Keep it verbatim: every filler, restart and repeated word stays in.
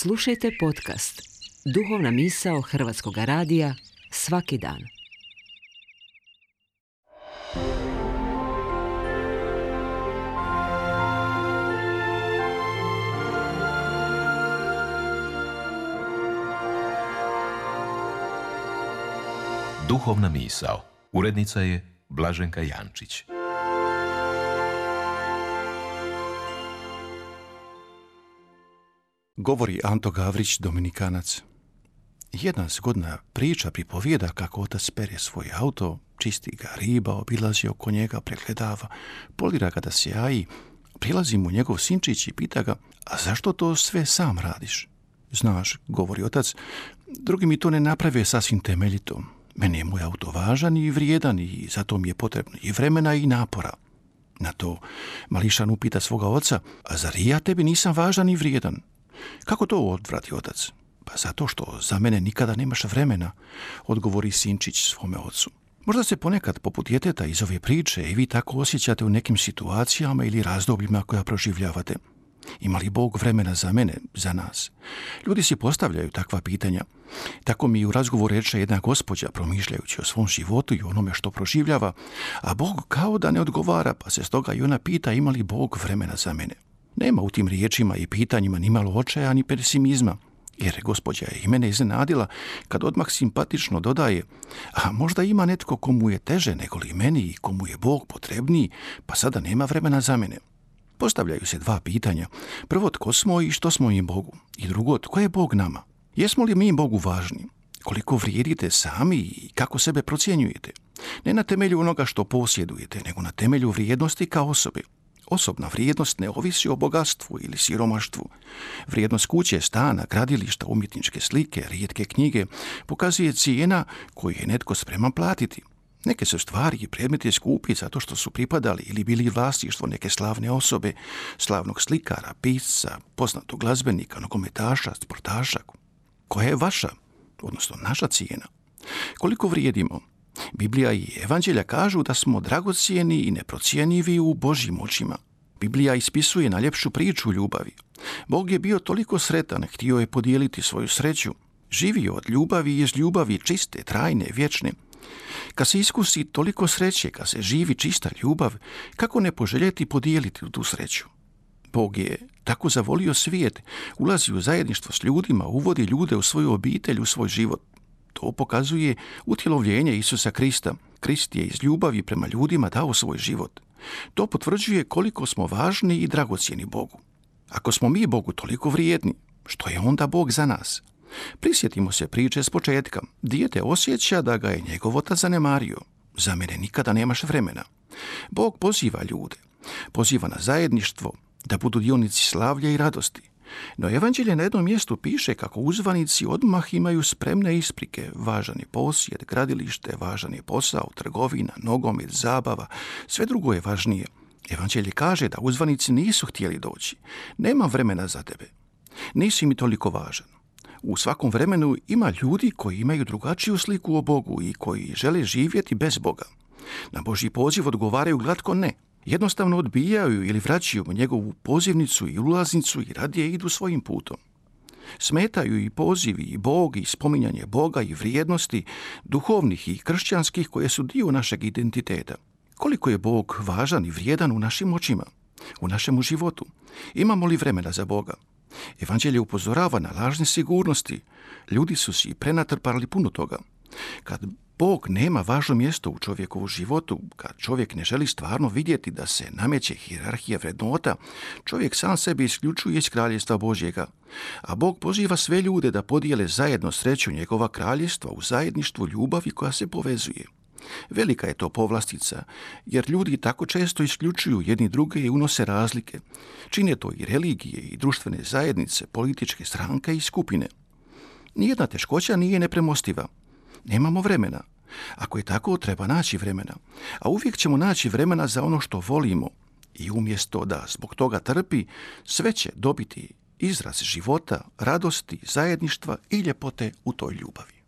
Slušajte podcast Duhovna misao Hrvatskog radija svaki dan. Duhovna misao. Urednica je Blaženka Jančić. Govori Anto Gavrić, Dominikanac. Jedna zgodna priča pripovijeda kako otac pere svoj auto, čisti ga, riba, obilazi oko njega, pregledava, polira ga da sjaji, prilazi mu njegov sinčić i pita ga: a zašto to sve sam radiš? Znaš, govori otac, drugi mi to ne naprave sasvim temeljito. Meni je moj auto važan i vrijedan i zato mi je potrebno i vremena i napora. Na to mališan upita svoga oca: a zar i ja tebi nisam važan i vrijedan? Kako to, odvrati otac? Pa zato što za mene nikada nemaš vremena, odgovori sinčić svome ocu. Možda se ponekad poput djeteta iz ove priče i vi tako osjećate u nekim situacijama ili razdobljima koja proživljavate. Ima li Bog vremena za mene, za nas? Ljudi si postavljaju takva pitanja. Tako mi u razgovoru reče jedna gospođa, promišljajući o svom životu i onome što proživljava, a Bog kao da ne odgovara, pa se stoga i ona pita: ima li Bog vremena za mene? Nema u tim riječima i pitanjima ni malo očaja ni pesimizma, jer gospođa je i mene iznenadila kad odmah simpatično dodaje: a možda ima netko komu je teže nego li meni i komu je Bog potrebniji, pa sada nema vremena za mene. Postavljaju se dva pitanja. Prvo, tko smo i što smo im Bogu? I drugo, tko je Bog nama? Jesmo li mi Bogu važni? Koliko vrijedite sami i kako sebe procjenjujete? Ne na temelju onoga što posjedujete, nego na temelju vrijednosti kao osobe. Osobna vrijednost ne ovisi o bogatstvu ili siromaštvu. Vrijednost kuće, stana, gradilišta, umjetničke slike, rijetke knjige pokazuje cijena koju je netko spreman platiti. Neke su stvari i predmeti skupi zato što su pripadali ili bili vlasništvo neke slavne osobe, slavnog slikara, pisca, poznatog glazbenika, nogometaša, sportaša. Koja je vaša, odnosno naša cijena? Koliko vrijedimo? Biblija i evanđelja kažu da smo dragocjeni i neprocjenjivi u Božjim očima. Biblija ispisuje najljepšu priču ljubavi. Bog je bio toliko sretan, htio je podijeliti svoju sreću. Živio od ljubavi i iz ljubavi čiste, trajne, vječne. Kad se iskusi toliko sreće, kad se živi čista ljubav, kako ne poželjeti podijeliti tu sreću? Bog je tako zavolio svijet, ulazi u zajedništvo s ljudima, uvodi ljude u svoju obitelj, u svoj život. To pokazuje utjelovljenje Isusa Krista. Krist je iz ljubavi prema ljudima dao svoj život. To potvrđuje koliko smo važni i dragocjeni Bogu. Ako smo mi Bogu toliko vrijedni, što je onda Bog za nas? Prisjetimo se priče s početka. Dijete osjeća da ga je njegov otac zanemario. Za mene nikada nemaš vremena. Bog poziva ljude. Poziva na zajedništvo, da budu dionici slavlja i radosti. No evanđelje na jednom mjestu piše kako uzvanici odmah imaju spremne isprike. Važan je posjed, gradilište, važan je posao, trgovina, nogomet, zabava, sve drugo je važnije. Evanđelje kaže da uzvanici nisu htjeli doći. Nema vremena za tebe. Nisi mi toliko važan. U svakom vremenu ima ljudi koji imaju drugačiju sliku o Bogu i koji žele živjeti bez Boga. Na Božji poziv odgovaraju glatko ne. Jednostavno odbijaju ili vraćaju njegovu pozivnicu i ulaznicu i radije idu svojim putom. Smetaju i pozivi i Bog i spominjanje Boga i vrijednosti duhovnih i kršćanskih koje su dio našeg identiteta. Koliko je Bog važan i vrijedan u našim očima, u našemu životu? Imamo li vremena za Boga? Evanđelje upozorava na lažne sigurnosti. Ljudi su si prenatrpali puno toga. Kad Bog nema važno mjesto u čovjekovu životu, kad čovjek ne želi stvarno vidjeti da se nameće hijerarhija vrednota, čovjek sam sebe isključuje iz kraljevstva Božjega. A Bog poziva sve ljude da podijele zajedno sreću njegova kraljevstva u zajedništvu ljubavi koja se povezuje. Velika je to povlastica, jer ljudi tako često isključuju jedni druge i unose razlike. Čine to i religije i društvene zajednice, političke stranke i skupine. Nijedna teškoća nije nepremostiva. Nemamo vremena. Ako je tako, treba naći vremena. A uvijek ćemo naći vremena za ono što volimo. I umjesto da zbog toga trpi, sve će dobiti izraz života, radosti, zajedništva i ljepote u toj ljubavi.